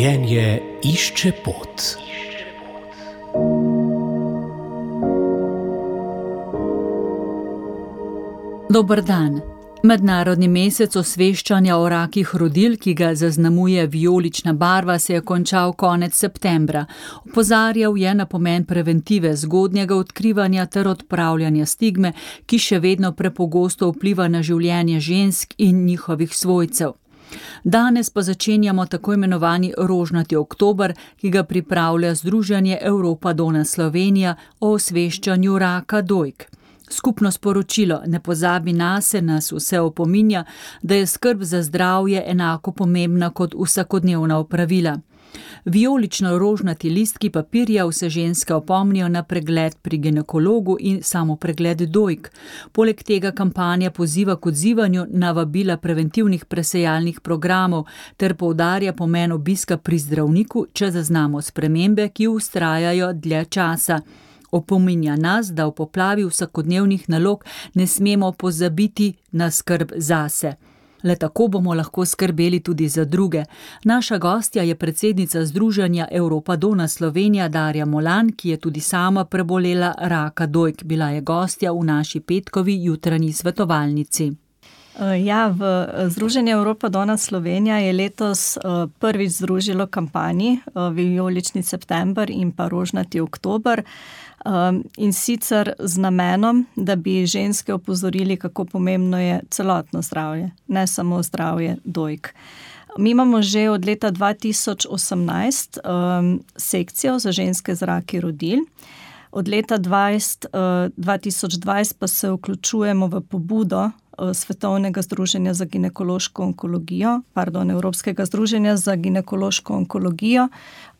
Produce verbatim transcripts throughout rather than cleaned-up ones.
Življenje išče pot. Dober dan. Mednarodni mesec osveščanja o rakih rodil, ki ga zaznamuje vijolična barva, se je končal konec septembra. Opozarjal je na pomen preventive, zgodnjega odkrivanja ter odpravljanja stigme, ki še vedno prepogosto vpliva na življenje žensk in njihovih svojcev. Danes pa začenjamo tako imenovani rožnati oktober, ki ga pripravlja Združenje Europa Donna Slovenija o osveščanju raka dojk. Skupno sporočilo Ne pozabi nase nas vse opominja, da je skrb za zdravje enako pomembna kot vsakodnevna opravila. Vijolično-rožnati listki papirja vse ženske opomnijo na pregled pri ginekologu in samopregled dojk. Poleg tega kampanja poziva k odzivanju na vabila preventivnih presejalnih programov ter poudarja pomen obiska pri zdravniku, če zaznamo spremembe, ki vztrajajo dlje časa. Opominja nas, da v poplavi vsakodnevnih nalog ne smemo pozabiti na skrb zase. Le tako bomo lahko skrbeli tudi za druge. Naša gostja je predsednica Združenja Europa Donna Slovenija Darja Molan, ki je tudi sama prebolela raka dojk. Bila je gostja v naši petkovi jutranji svetovalnici. Ja, v Združenju Europa Donna Slovenija je letos prvič združilo kampanji Vijolični september in pa rožnati oktober. In sicer z namenom, da bi ženske opozorili, kako pomembno je celotno zdravje, ne samo zdravje dojk. Mi imamo že od leta dva tisoč osemnajst um, sekcijo za ženske z raki rodil. Od leta dvajset, uh, dva tisoč dvajset pa se vključujemo v pobudo Svetovnega združenja za ginekološko onkologijo, pardon, Evropskega združenja za ginekološko onkologijo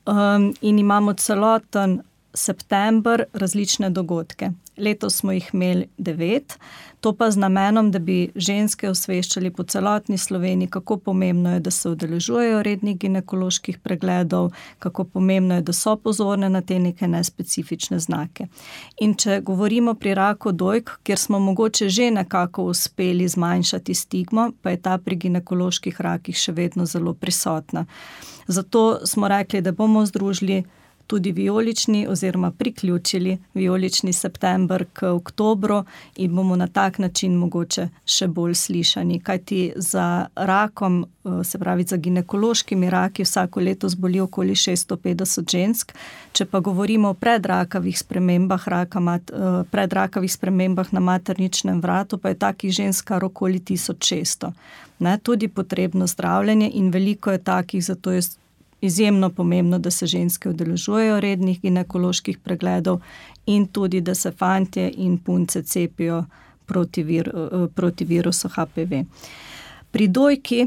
um, in imamo celoten september različne dogodke. Letos smo jih imeli devet, to pa z namenom, da bi ženske osveščali po celotni Sloveniji, kako pomembno je, da se udeležujejo rednih ginekoloških pregledov, kako pomembno je, da so pozorne na te neke nespecifične znake. In če govorimo pri raku dojk, kjer smo mogoče že nekako uspeli zmanjšati stigmo, pa je ta pri ginekoloških rakih še vedno zelo prisotna. Zato smo rekli, da bomo združili tudi vijolični oziroma priključili vijolični september k oktobru in bomo na tak način mogoče še bolj slišani. Kajti za rakom, se pravi za ginekološkimi raki, vsako leto zboli okoli šeststo petdeset žensk. Če pa govorimo o predrakavih spremembah, raka, predrakavih spremembah na materničnem vratu, pa je takih žensk kar okoli tisoč šeststo. Ne, tudi potrebno zdravljenje in veliko je takih, zato je izjemno pomembno, da se ženske udeležujejo rednih ginekoloških pregledov in tudi, da se fantje in punce cepijo proti, vir, proti virusu H P V. Pri dojki,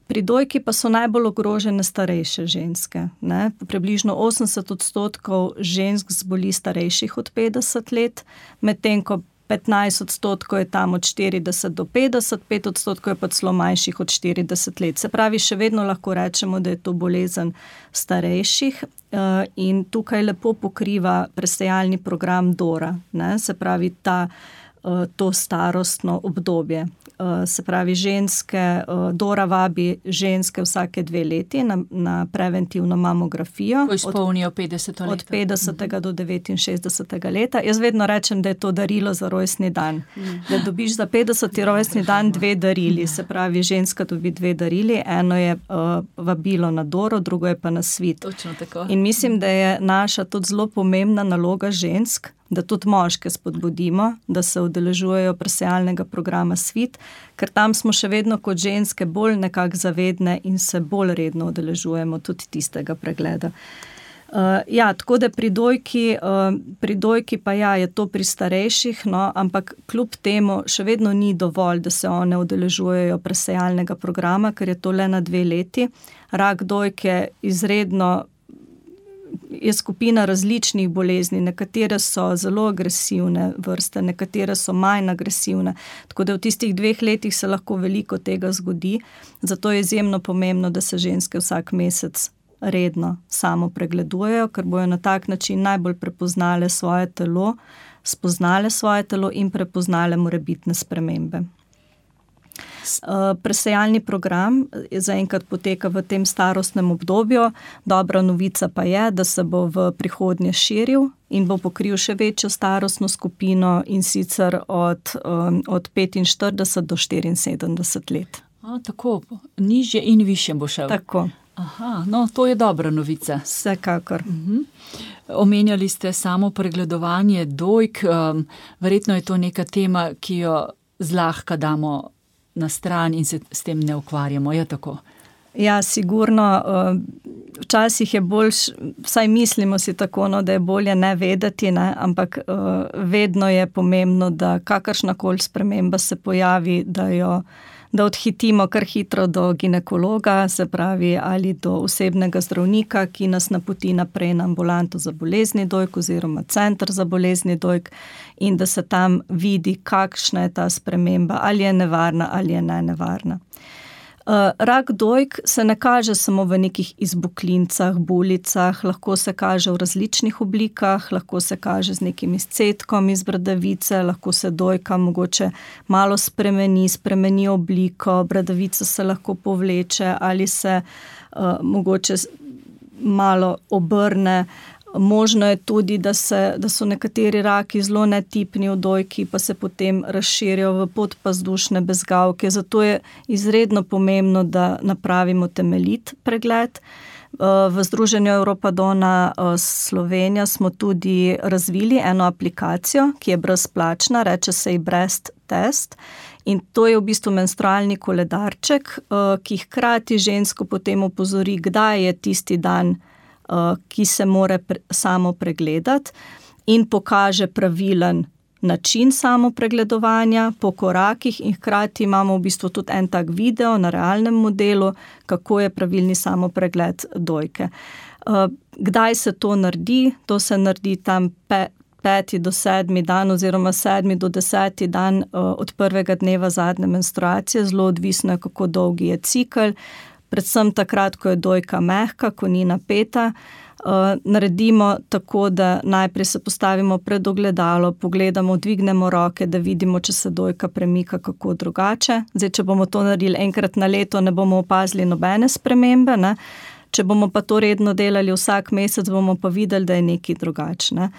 pri dojki pa so najbolj ogrožene starejše ženske. Ne? Približno osemdeset odstotkov žensk zboli starejših od petdeset let, medtem ko petnajst odstotkov je tam od štirideset do petdeset, pet odstotkov je pa celo manjših od štirideset let. Se pravi, še vedno lahko rečemo, da je to bolezen starejših in tukaj lepo pokriva presejalni program Dora, ne? Se pravi ta, to starostno obdobje. Se pravi, ženske, Dora vabi ženske vsake dve leti na, na preventivno mamografijo. Ko izpolnijo petdeseto leto. Od petdesetega do devetinšestdesetega leta. Jaz vedno rečem, da je to darilo za rojstni dan. Mm. Da dobiš za petdeseti rojstni dan dve darili. Se pravi, ženska dobi dve darili. Eno je uh, vabilo na Doro, drugo je pa na svit. Točno tako. In mislim, da je naša tudi zelo pomembna naloga žensk, da tudi moške spodbudimo, da se udeležujejo presejalnega programa Svit, ker tam smo še vedno kot ženske bolj nekako zavedne in se bolj redno udeležujemo tudi tistega pregleda. Uh, ja, tako da pri dojki, uh, pri dojki pa ja, je to pri starejših, no, ampak kljub temu še vedno ni dovolj, da se one udeležujejo presejalnega programa, ker je to le na dve leti. Rak dojke izredno je skupina različnih bolezni, nekatere so zelo agresivne vrste, nekatere so manj agresivne, tako da v tistih dveh letih se lahko veliko tega zgodi, zato je izjemno pomembno, da se ženske vsak mesec redno samo pregledujejo, ker bojo na tak način najbolj prepoznale svoje telo, spoznale svoje telo in prepoznale morebitne spremembe. Presejalni program zaenkrat poteka v tem starostnem obdobju. Dobra novica pa je, da se bo v prihodnje širil in bo pokril še večjo starostno skupino, in sicer od, od petinštirideset do štiriinsedemdeset let. A, tako, nižje in višje bo šel. Tako. Aha, no, to je dobra novica. Vsekakor. Uh-huh. Omenjali ste samo pregledovanje dojk. Um, verjetno je to neka tema, ki jo zlahka damo na stran in se s tem ne ukvarjamo. Je tako? Ja, sigurno. Včasih je bolj, vsaj mislimo si tako, no, da je bolje ne vedeti, ne, ampak vedno je pomembno, da kakršnakoli sprememba se pojavi, da jo da odhitimo kar hitro do ginekologa, se pravi ali do osebnega zdravnika, ki nas napoti naprej na ambulanto za bolezni dojk oziroma center za bolezni dojk, in da se tam vidi, kakšna je ta sprememba, ali je nevarna ali je ne nevarna. Rak dojk se ne kaže samo v nekih izbuklincah, bulicah, lahko se kaže v različnih oblikah, lahko se kaže z nekim izcedkom iz bradavice, lahko se dojka mogoče malo spremeni, spremeni obliko, bradavica se lahko povleče ali se uh, mogoče malo obrne. Možno je tudi, da, se, da so nekateri raki zelo netipni v dojki, pa se potem razširijo v podpazdušne bezgavke. Zato je izredno pomembno, da napravimo temeljit pregled. V Združenju Europadona Slovenija smo tudi razvili eno aplikacijo, ki je brezplačna, reče se ji Breast Test. In to je v bistvu menstrualni koledarček, ki hkrati žensko potem opozori, kdaj je tisti dan, ki se more pre, samo pregledati, in pokaže pravilen način samo pregledovanja po korakih, in hkrati imamo v bistvu tudi en tak video na realnem modelu, kako je pravilni samo pregled dojke. Kdaj se to naredi? To se naredi tam pe, peti do sedmi dan oziroma sedmi do deseti dan od prvega dneva zadnje menstruacije, zelo odvisno je, kako dolgi je cikel. Predvsem takrat, ko je dojka mehka, ko ni napeta, naredimo tako, da najprej se postavimo pred ogledalo, pogledamo, dvignemo roke, da vidimo, če se dojka premika kako drugače. Zdaj, če bomo to naredili enkrat na leto, ne bomo opazili nobene spremembe, ne? Če bomo pa to redno delali vsak mesec, bomo pa videli, da je nekaj drugačne.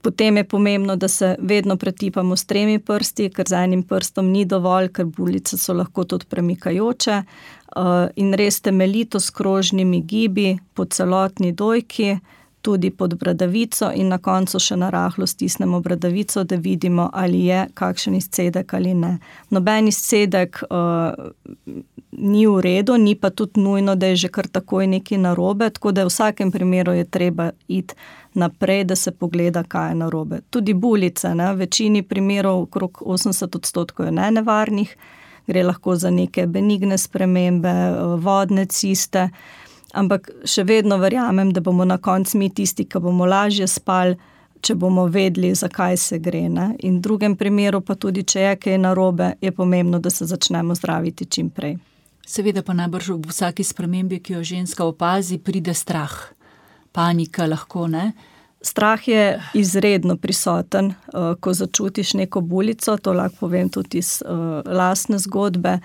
Potem je pomembno, da se vedno pretipamo s tremi prsti, ker z enim prstom ni dovolj, ker bulice so lahko tudi premikajoče, in res temeljito s krožnimi gibi po celotni dojki, tudi pod bradavico, in na koncu še na rahlo stisnemo bradavico, da vidimo, ali je kakšen izcedek ali ne. Noben izcedek uh, ni v redu, ni pa tudi nujno, da je že kar takoj nekaj narobe, tako da v vsakem primeru je treba iti naprej, da se pogleda, kaj je narobe. Tudi bulice, ne? V večini primerov, okrog osemdeset odstotkov je nenevarnih, gre lahko za neke benigne spremembe, vodne ciste, ampak še vedno verjamem, da bomo na koncu mi tisti, ki bomo lažje spali, če bomo vedeli, zakaj se gre. Ne? In v drugem primeru pa tudi, če je kaj narobe, je pomembno, da se začnemo zdraviti čim prej. Seveda pa najbrž v vsaki spremembi, ki jo ženska opazi, pride strah. Panika lahko, ne? Strah je izredno prisoten, ko začutiš neko bulico, to lahko povem tudi iz lastne zgodbe.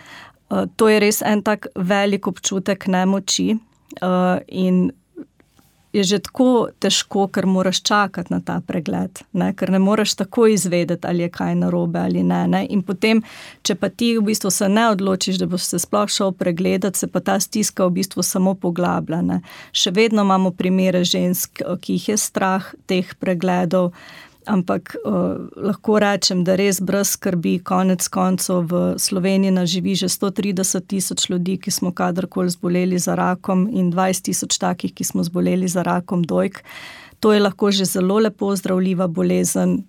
To je res en tak velik občutek nemoči in je že tako težko, ker moraš čakati na ta pregled, ne? Ker ne moraš tako izvedeti, ali je kaj narobe ali ne, ne. In potem, če pa ti v bistvu se ne odločiš, da boš se sploh šel pregledati, se pa ta stiska v bistvu samo poglablja. Ne? Še vedno imamo primere žensk, ki jih je strah teh pregledov, ampak uh, lahko rečem, da res brez skrbi, konec koncev v Sloveniji nas živi že sto trideset tisoč ljudi, ki smo kadarkoli zboleli za rakom, in dvajset tisoč takih, ki smo zboleli za rakom dojk. To je lahko že zelo lepo zdravljiva bolezen.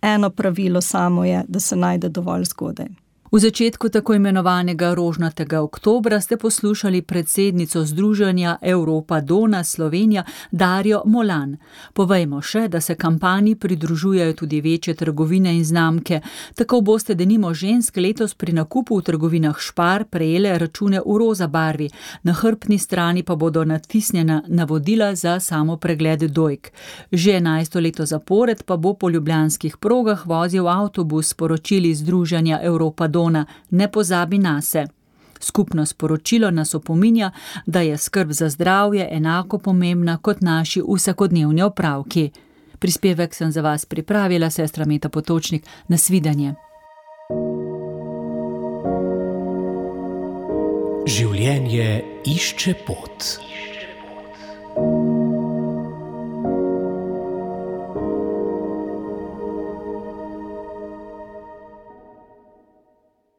Eno pravilo samo je, da se najde dovolj zgodaj. V začetku tako imenovanega rožnatega oktobra ste poslušali predsednico Združenja Europadona Slovenija Darjo Molan. Povejmo še, da se kampanji pridružujejo tudi večje trgovine in znamke. Tako boste denimo žensk letos pri nakupu v trgovinah Spar prejele račune v roza barvi. Na hrbtni strani pa bodo natisnjena navodila za samo pregled dojk. Že enajsto leto zapored pa bo po ljubljanskih progah vozil avtobus, sporočili Združenja Europadona zaslona Ne pozabi nase. Skupno sporočilo nas opominja, da je skrb za zdravje enako pomembna kot naši vsakodnevni opravki. Prispevek sem za vas pripravila sestra Meta Potočnik. Nasvidenje. Življenje išče pot.